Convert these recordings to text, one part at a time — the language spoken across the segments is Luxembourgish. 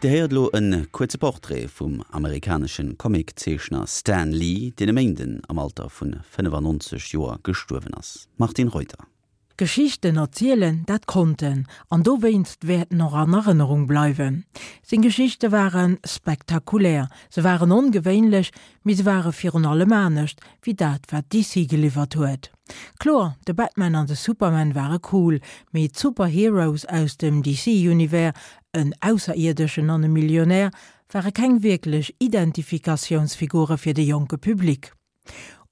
Dir héiert elo e kuerze Portrait vum amerikanesche Comiczeechner Stan Lee, deen e Méinden am Alter vun 95 Joer gestuerwen ass. Martine Reuter. Geschichten erzielen, dat konnt en, an dowéinst wäert en och an Erënnerung bleiwen. Seng Geschichte ware spektakulär, se waren ongewéinlech, mee se ware virun allem anescht wéi dat, wat DC geliwwert huet. Kloer, de Batman an de Superman ware cool, mee d'Superheroes aus dem DC-Univers, en Ausserierdeschen an e Millionär, ware keng wierklech Identifikatiounsfigure fir de jonke Public.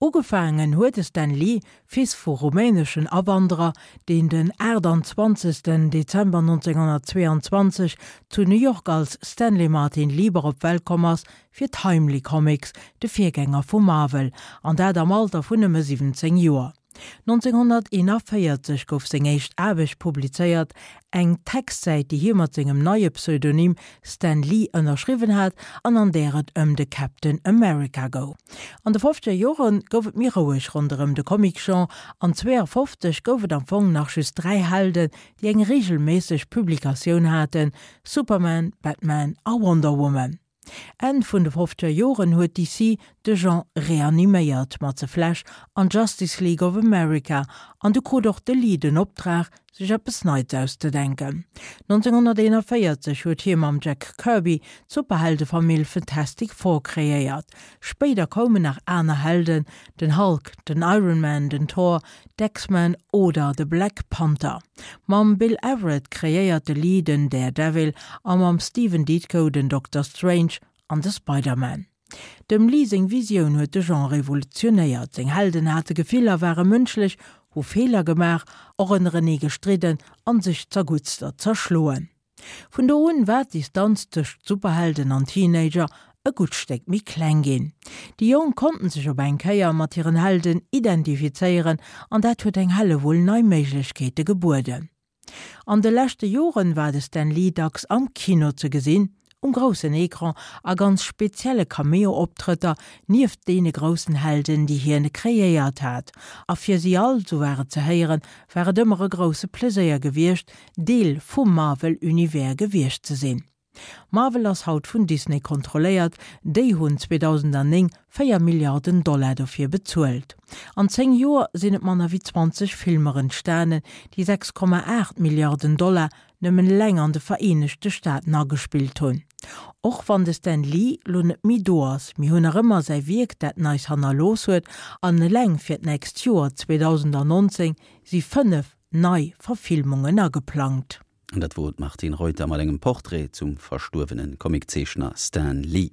Ugefaangen huet de Stan Lee, Fils vu rumäneschen Awanderer, deen den 28. Dezember 1922 zu New York als Stanley Martin Lieber op d'Welt komm ass, fir Timely Comics, de Virgänger vu Marvel, an dat am Alter vun nëmme 17 Joer. 1941 gouf seng éischt Aarbecht publizéiert, eng Textsäit, déi hie mat sengem neie Pseudonym Stan Lee ënnerschriwwen hat an an där et ëm de Captain America goung. An de fofzeger Jore gouf et méi roueg ronderëm de Comic-Genre an 52 gouf et am Fong nach just 3 Helden, déi eng reegelméisseg Publikatioun haten, Superman, Batman a Wonder Woman. Enn vun de fofzeger Joren huet DC de Genre reaniméiert mat The Flash an Justice League of America an du krut och de Lee den Optrag, sech eppes Neits auszedenken. 1941 huet hie mam Jack Kirby d'Superheldefamill Fantastic Four kreéiert. Spéider koumen nach aner Helden, den Hulk, den Iron Man, den Thor, d'X-Men oder de Black Panther. Mam Bill Everett kreéiert de Lee den Daredevil a mam Stephen Ditko den Doctor Strange an de Spider-Man. Dem Lee seng Visioun huet de Genre revolutionéiert, seng Helden hate Gefiller, ware mënschlech, hu Feeler gemaach, och ënnerenee gestridden an sech zerguttster zerschloen. Vun do un war d'Distanz tëscht Superhelden an Teenager e gutt Stéck méi kleng ginn. Déi Jonk konnten sech op eng Kéier mat hiren Helden identifizéieren an dat huet eng Hellewull nei Méiglechkeete gebueden. An de leschte Joren war de Stan Lee dacks am Kino ze gesinn, um groussen Ecran a ganz spezielle Cameo-Optrëtter nieft deene groussen Helden, déi hien kreéiert hat. A fir si all, sou war et ze héieren, war et ëmmer e grousse Pleséier gewiescht, Deel vum Marvel-Univers gewiescht ze sinn. Marvel ass haut vun Disney kontrolléiert, déi hunn 2009 4 Milliarden Dollar dofir bezuelt. An 10 Joer sinn et manner wéi 20 Filmer entstanen, déi 6,8 Milliarden Dollar nëmmen eleng an de Vereenegte Staaten agespillt hunn. Och wann de Stan Lee lo net méi do ass, mir hunn nach ëmmer säi Wierk, dat en eis hannerlooss huet, an eleng fir d'nächst Joer 2019 si 5 nei Verfilmungen ageplangt. An dat wor d'Martine Reuter mat engem Portrait zum verstuerwene Comiczeechner Stan Lee.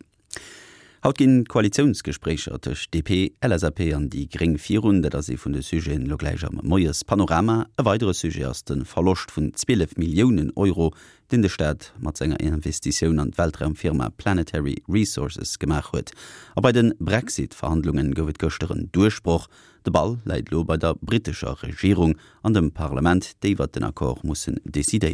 Haut ginn d'Koalitiounsgespréicher tëscht DP, LSAP an déi Gréng virun. Dat ass ee vun de Sujeten elo gläich am Moiespanorama. E weidere Sujet ass de Verloscht vun 12 Milliounen Euro, deen de Staat mat senger Investitioun an d'Weltraumfirma Planetary Resources gemaach huet. A bei de Brexit-Verhandlungen gouf et gëschter en Duerchbroch. De Ball läit elo bei der brittescher Regierung an dem Parlament, déi iwwert den Accord mussen decidéieren.